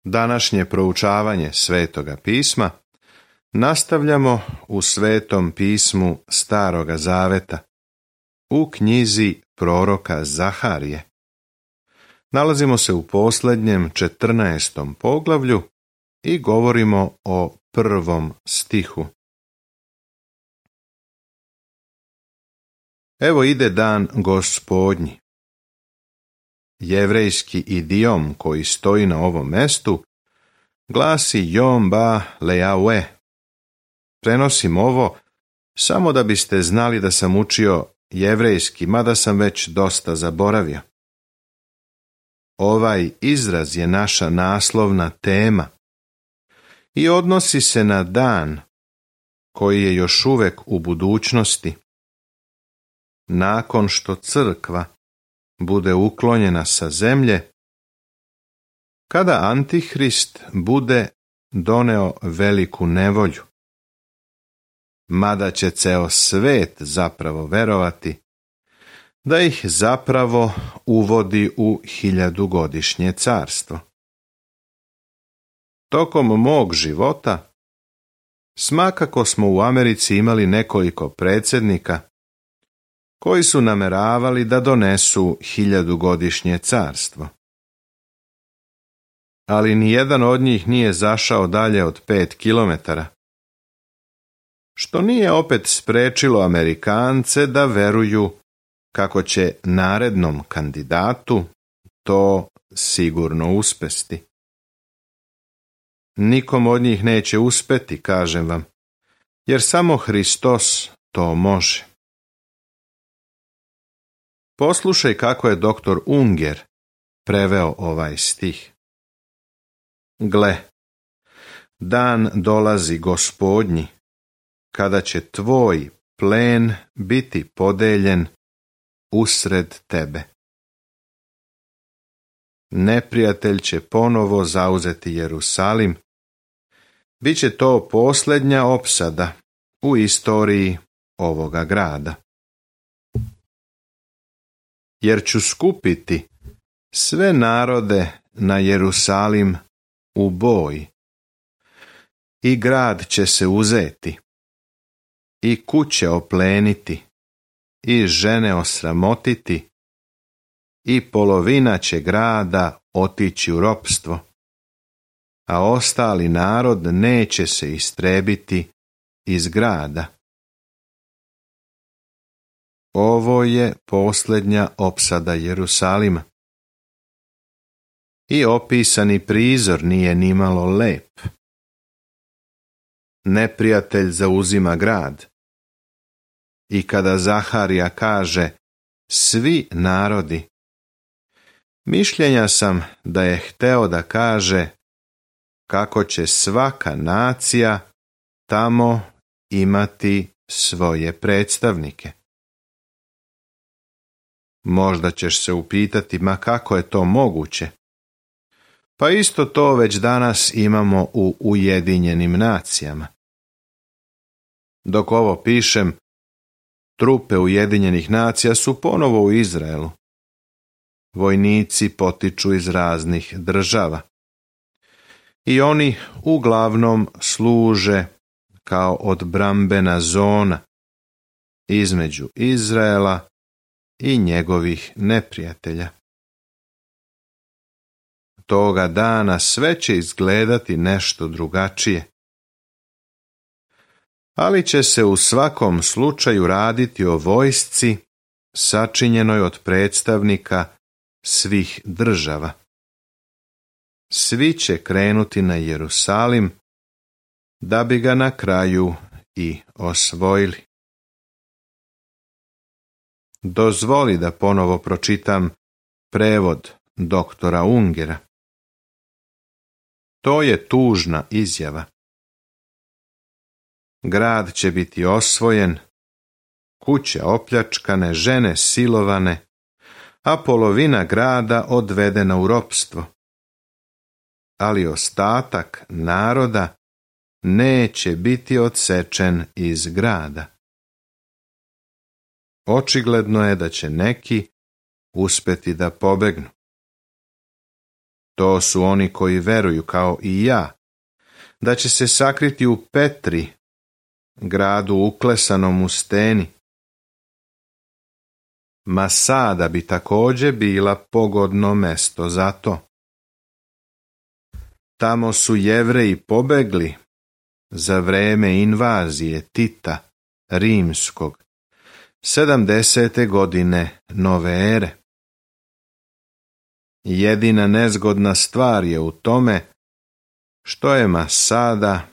Današnje proučavanje Svetoga pisma nastavljamo u Svetom pismu Staroga Zaveta, u knjizi proroka Zaharije. Nalazimo se u posljednjem 14. poglavlju i govorimo o 1. stihu. Evo ide dan Gospodnji. Jevrejski idiom koji stoji na ovom mestu glasi Yom ba lejaue. Prenosim ovo samo da biste znali da sam učio jevrejski, mada sam već dosta zaboravio. Ovaj izraz je naša naslovna tema i odnosi se na dan koji je još uvek u budućnosti. Nakon što crkva bude uklonjena sa zemlje, kada Antihrist bude doneo veliku nevolju, mada će ceo svet zapravo verovati da ih zapravo uvodi u 1000-godišnje carstvo. Tokom mog života smakako smo u Americi imali nekoliko predsjednika koji su nameravali da donesu 1000-godišnje carstvo. Ali nijedan od njih nije zašao dalje od 5 kilometara, što nije opet sprečilo Amerikance da veruju kako će narednom kandidatu to sigurno uspesti. Nikom od njih neće uspeti, kažem vam, jer samo Hristos to može. Poslušaj kako je doktor Unger preveo ovaj stih. Gle, dan dolazi Gospodnji, kada će tvoj plen biti podeljen usred tebe. Neprijatelj će ponovo zauzeti Jerusalim. Biće to posljednja opsada u istoriji ovoga grada. Jer ću skupiti sve narode na Jerusalim u boj. I grad će se uzeti, i kuće opleniti, i žene osramotiti, i polovina će grada otići u ropstvo, a ostali narod neće se istrebiti iz grada. Ovo je posljednja opsada Jerusalima. I opisani prizor nije nimalo lep. Neprijatelj zauzima grad. I kada Zaharija kaže svi narodi, mišljenja sam da je hteo da kaže kako će svaka nacija tamo imati svoje predstavnike. Možda ćeš se upitati, ma kako je to moguće? Pa isto to već danas imamo u Ujedinjenim nacijama. Dok ovo pišem, trupe Ujedinjenih nacija su ponovo u Izraelu. Vojnici potiču iz raznih država. I oni uglavnom služe kao odbrambena zona između Izraela i njegovih neprijatelja. Toga dana sve će izgledati nešto drugačije. Ali će se u svakom slučaju raditi o vojsci sačinjenoj od predstavnika svih država. Svi će krenuti na Jerusalim da bi ga na kraju i osvojili. Dozvoli da ponovo pročitam prevod doktora Ungera. To je tužna izjava. Grad će biti osvojen, kuće opljačkane, žene silovane, a polovina grada odvedena u ropstvo. Ali ostatak naroda neće biti odsečen iz grada. Očigledno je da će neki uspeti da pobegnu. To su oni koji veruju kao i ja, da će se sakriti u Petri, gradu uklesanom u steni. Masada bi također bila pogodno mesto za to. Tamo su Jevreji pobegli za vreme invazije Tita Rimskog, 70. godine nove ere. Jedina nezgodna stvar je u tome što je Masada,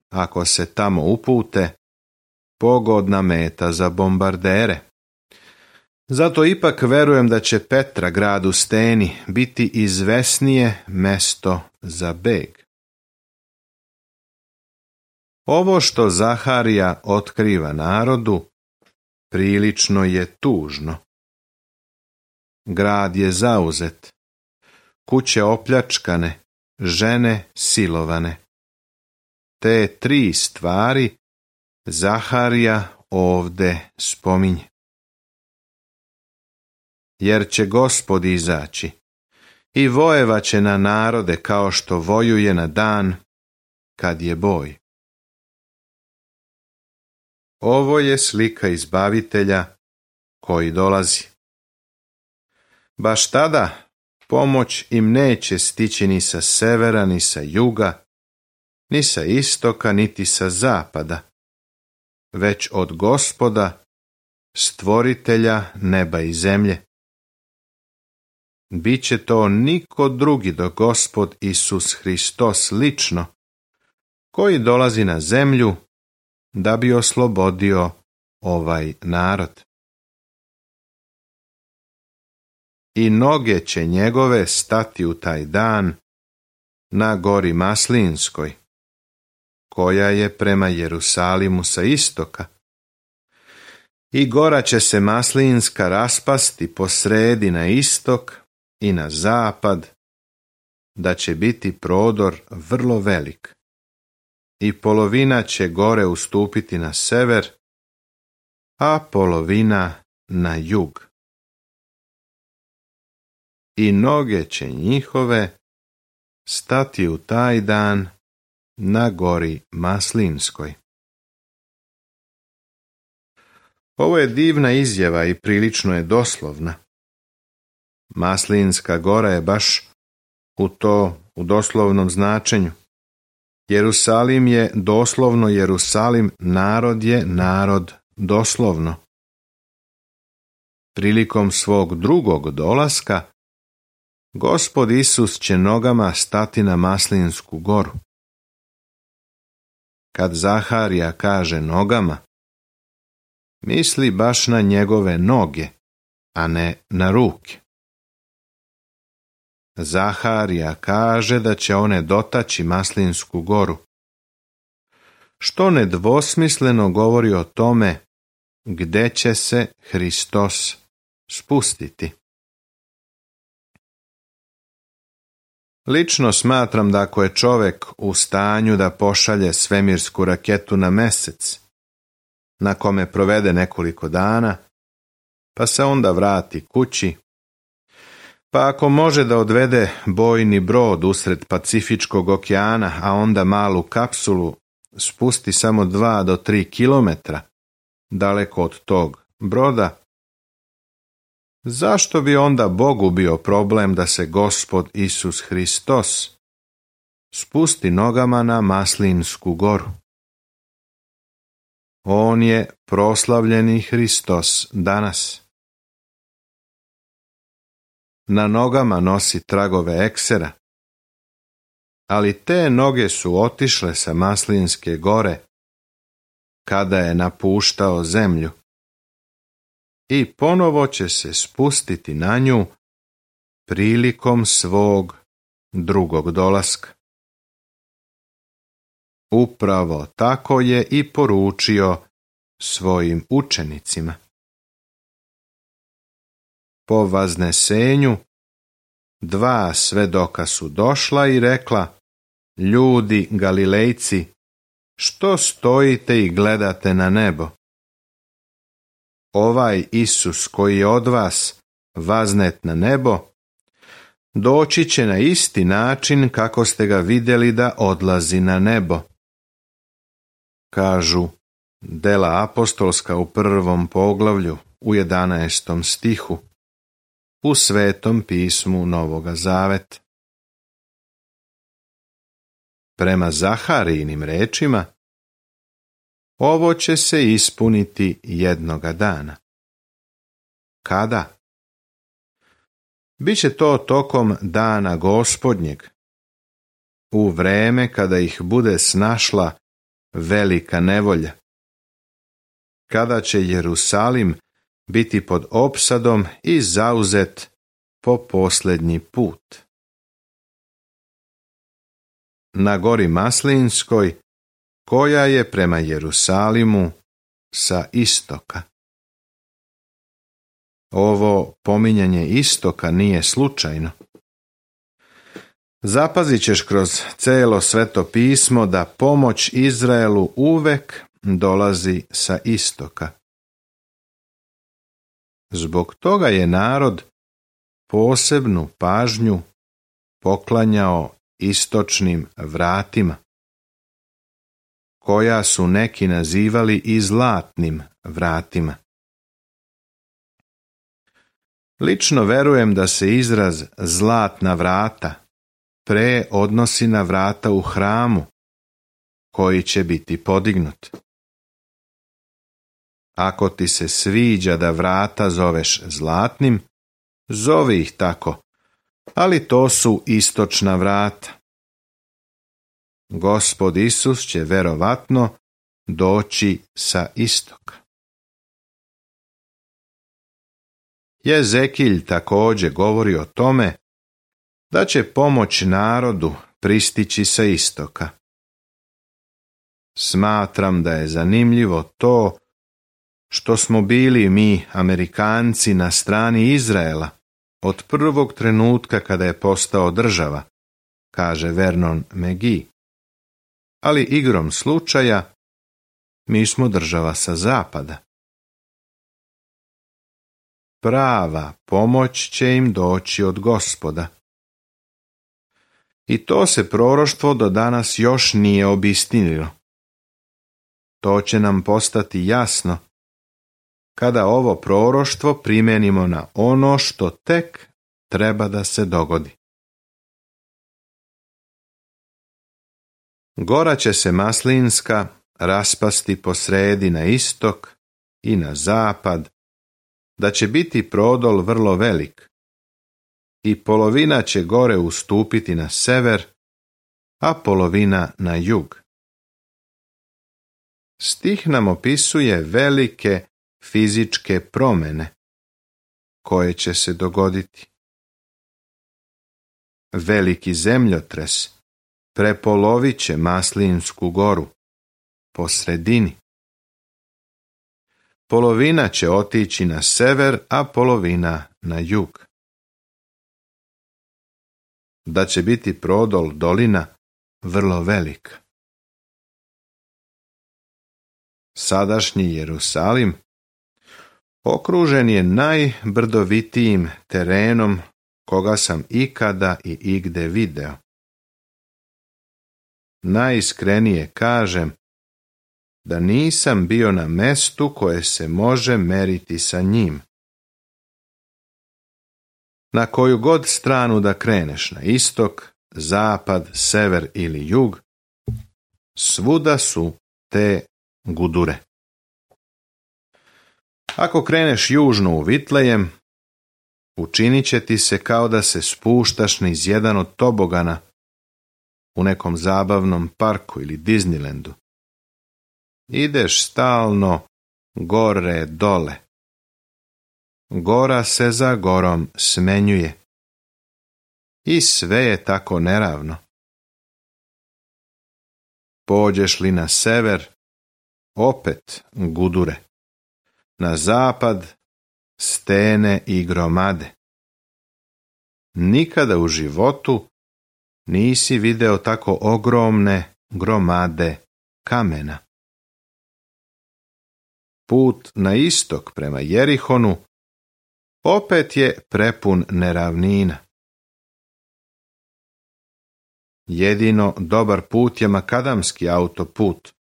ako se tamo upute, pogodna meta za bombardere. Zato ipak verujem da će Petra, grad u steni, biti izvesnije mesto za beg. Ovo što Zaharija otkriva narodu, prilično je tužno. Grad je zauzet, kuće opljačkane, žene silovane. Te 3 stvari Zaharija ovde spominje. Jer će Gospod izaći i vojevaće na narode kao što vojuje na dan kad je boj. Ovo je slika izbavitelja koji dolazi. Baš tada pomoć im neće stići ni sa severa, ni sa juga, ni sa istoka, niti sa zapada, već od Gospoda, stvoritelja neba i zemlje. Biće to niko drugi do Gospod Isus Hristos lično, koji dolazi na zemlju da bi oslobodio ovaj narod. I noge će njegove stati u taj dan na gori Maslinskoj, koja je prema Jerusalimu sa istoka. I gora će se Maslinska raspasti po sredi na istok i na zapad, da će biti prodor vrlo velik. I polovina će gore ustupiti na sever, a polovina na jug. I noge će njihove stati u taj dan na gori Maslinskoj. Ovo je divna izjava i prilično je doslovna. Maslinska gora je baš u doslovnom značenju. Jerusalim je doslovno Jerusalim, narod je narod doslovno. Prilikom svog drugog dolaska, Gospod Isus će nogama stati na Maslinsku goru. Kad Zaharija kaže nogama, misli baš na njegove noge, a ne na ruke. Zaharija kaže da će one dotaći Maslinsku goru, što nedvosmisleno govori o tome gde će se Hristos spustiti. Lično smatram da ako je čovjek u stanju da pošalje svemirsku raketu na Mesec, na kome provede nekoliko dana, pa se onda vrati kući, pa ako može da odvede bojni brod usred Pacifičkog okeana, a onda malu kapsulu spusti samo 2 do 3 kilometra daleko od tog broda, zašto bi onda Bogu bio problem da se Gospod Isus Hristos spusti nogama na Maslinsku goru? On je proslavljeni Hristos danas. Na nogama nosi tragove eksera, ali te noge su otišle sa Maslinske gore kada je napuštao zemlju i ponovo će se spustiti na nju prilikom svog drugog dolaska. Upravo tako je i poručio svojim učenicima. Po vaznesenju 2 svedoka su došla i rekla: ljudi Galilejci, što stojite i gledate na nebo? Ovaj Isus koji je od vas vaznet na nebo, doći će na isti način kako ste ga vidjeli da odlazi na nebo. Kažu Dela apostolska u 1. poglavlju u 11. stihu u Svetom pismu Novoga Zaveta. Prema Zaharijinim rečima, ovo će se ispuniti jednoga dana. Kada? Biće to tokom dana Gospodnjeg, u vreme kada ih bude snašla velika nevolja, kada će Jerusalim biti pod opsadom i zauzet po posljednji put. Na gori Maslinskoj, koja je prema Jerusalimu sa istoka. Ovo pominjanje istoka nije slučajno. Zapazit ćeš kroz celo Sveto pismo da pomoć Izraelu uvek dolazi sa istoka. Zbog toga je narod posebnu pažnju poklanjao istočnim vratima, koja su neki nazivali i zlatnim vratima. Lično verujem da se izraz zlatna vrata pre odnosi na vrata u hramu, koji će biti podignut. Ako ti se sviđa da vrata zoveš zlatnim, zovi ih tako, ali to su istočna vrata. Gospod Isus će verovatno doći sa istoka. Jezekilj također govori o tome da će pomoć narodu pristići sa istoka. Smatram da je zanimljivo to što smo bili mi, Amerikanci, na strani Izraela od prvog trenutka kada je postao država, kaže Vernon McGee. Ali igrom slučaja mi smo država sa zapada. Prava pomoć će im doći od Gospoda. I to se proroštvo do danas još nije obistinilo. To će nam postati jasno kada ovo proroštvo primenimo na ono što tek treba da se dogodi. Gora će se Maslinska raspasti po sredi na istok i na zapad, da će biti prodol vrlo velik i polovina će gore ustupiti na sever, a polovina na jug. Stih nam opisuje velike fizičke promjene koje će se dogoditi. Veliki zemljotres prepolovit će Maslinsku goru po sredini. Polovina će otići na sever, a polovina na jug. Da će biti prodol dolina vrlo velika. Sadašnji Jerusalim okružen je najbrdovitijim terenom koga sam ikada i igde video. Najiskrenije kažem da nisam bio na mestu koje se može meriti sa njim. Na koju god stranu da kreneš, na istok, zapad, sever ili jug, svuda su te gudure. Ako kreneš južno u Vitlejem, učinit će ti se kao da se spuštaš niz jedan od tobogana u nekom zabavnom parku ili Disneylandu. Ideš stalno gore dole. Gora se za gorom smenjuje. I sve je tako neravno. Pođeš li na sever, opet gudure. Na zapad, stene i gromade. Nikada u životu nisi video tako ogromne gromade kamena. Put na istok prema Jerihonu opet je prepun neravnina. Jedino dobar put je makadamski autoput,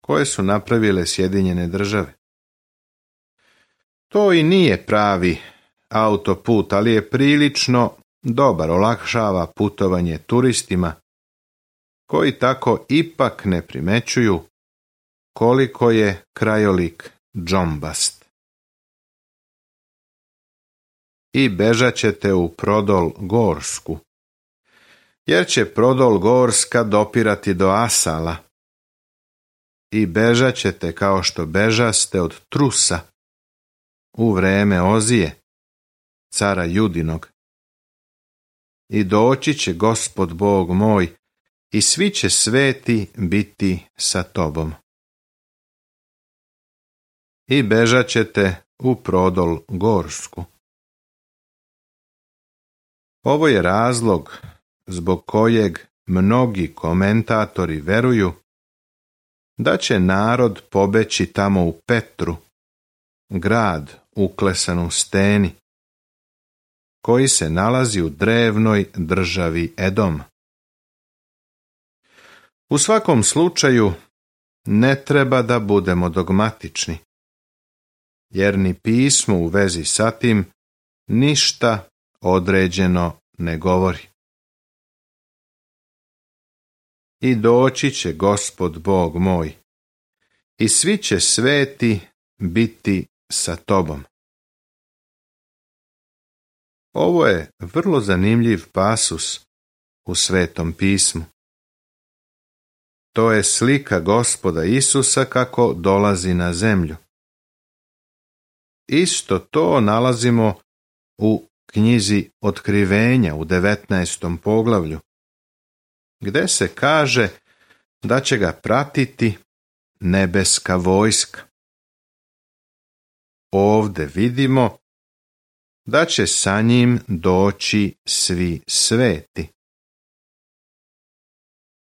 koje su napravile Sjedinjene Države. To i nije pravi autoput, ali je prilično dobar, olakšava putovanje turistima, koji tako ipak ne primećuju koliko je krajolik džombast. I bežat ćete u Prodol Gorsku, jer će Prodol Gorska dopirati do Asala. I bežat ćete kao što bežaste od Trusa u vreme Ozije, cara Judinog. I doći će Gospod Bog moj i svi će sveti biti sa tobom. I bežat ćete u Prodol Gorsku. Ovo je razlog zbog kojeg mnogi komentatori veruju da će narod pobeći tamo u Petru, grad uklesan u steni, koji se nalazi u drevnoj državi Edom. U svakom slučaju ne treba da budemo dogmatični, jer ni pismo u vezi sa tim ništa određeno ne govori. I doći će Gospod Bog moj, i svi će sveti biti sa tobom. Ovo je vrlo zanimljiv pasus u Svetom pismu. To je slika Gospoda Isusa kako dolazi na zemlju. Isto to nalazimo u knjizi Otkrivenja u 19. poglavlju, gde se kaže da će ga pratiti nebeska vojska. Ovde vidimo da će sa njim doći svi sveti.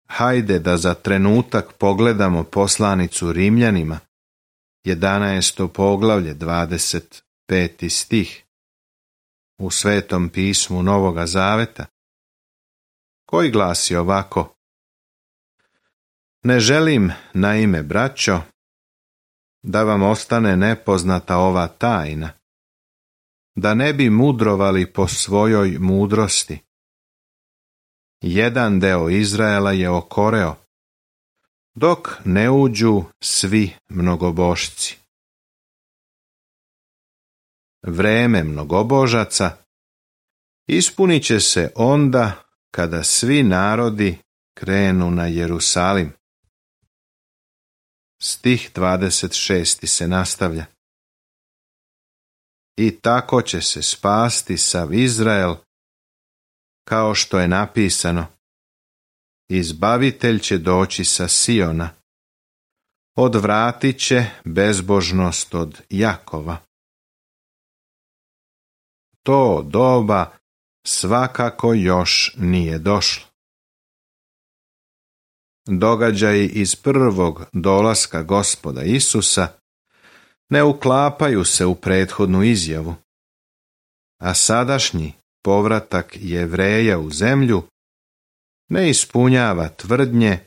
Hajde da za trenutak pogledamo poslanicu Rimljanima, 11. poglavlje, 25. stih, u Svetom pismu Novoga Zaveta, koji glasi ovako: Ne želim, naime, braćo, da vam ostane nepoznata ova tajna, da ne bi mudrovali po svojoj mudrosti. Jedan deo Izraela je okoreo, dok ne uđu svi mnogobošci. Vreme mnogobožaca ispunit će se onda kada svi narodi krenu na Jerusalim. Stih 26. se nastavlja. I tako će se spasti sav Izrael, kao što je napisano: Izbavitelj će doći sa Siona, odvratit će bezbožnost od Jakova. To doba svakako još nije došlo. Događaji iz prvog dolaska Gospoda Isusa ne uklapaju se u prethodnu izjavu, a sadašnji povratak Jevreja u zemlju ne ispunjava tvrdnje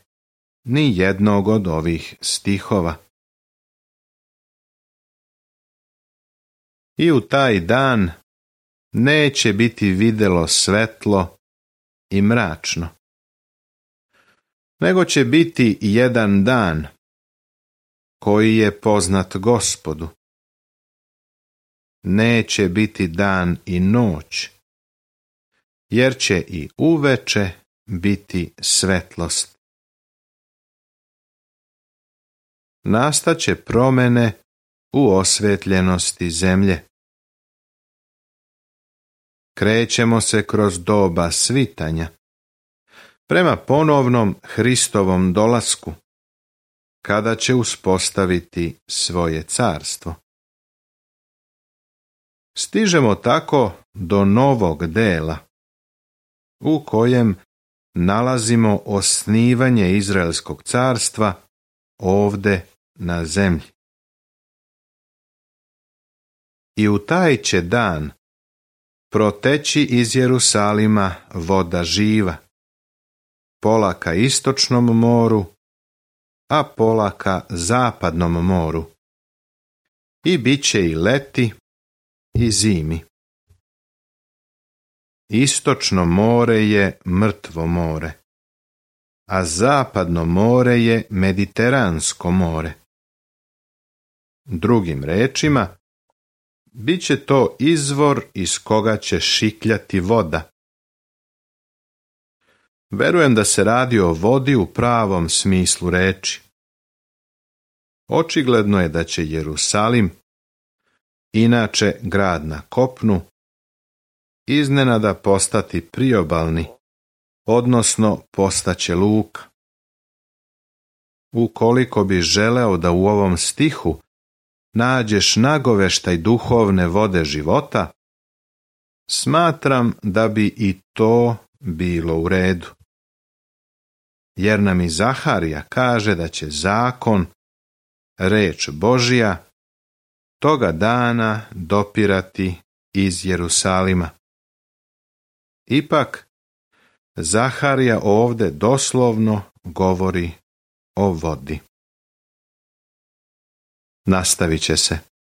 ni jednog od ovih stihova. I u taj dan neće biti videlo svetlo i mračno, nego će biti jedan dan koji je poznat Gospodu. Neće biti dan i noć, jer će i uveče biti svetlost. Nastaće promjene u osvetljenosti zemlje. Krećemo se kroz doba svitanja, prema ponovnom Hristovom dolasku, kada će uspostaviti svoje carstvo. Stižemo tako do novog dela, u kojem nalazimo osnivanje Izraelskog carstva ovde na zemlji. I u taj će dan proteći iz Jerusalima voda živa, pola ka istočnom moru, a pola ka zapadnom moru. I bit će i leti i zimi. Istočno more je mrtvo more, a zapadno more je Mediteransko more. Drugim rečima, bit će to izvor iz koga će šikljati voda. Verujem da se radi o vodi u pravom smislu reči. Očigledno je da će Jerusalim, inače grad na kopnu, iznenada postati priobalni, odnosno postaće luka. Ukoliko bi želeo da u ovom stihu nađeš nagoveštaj duhovne vode života, smatram da bi i to bilo u redu. Jer nam i Zaharija kaže da će zakon, reč Božja, toga dana dopirati iz Jerusalima. Ipak, Zaharija ovdje doslovno govori o vodi. Nastavit će se.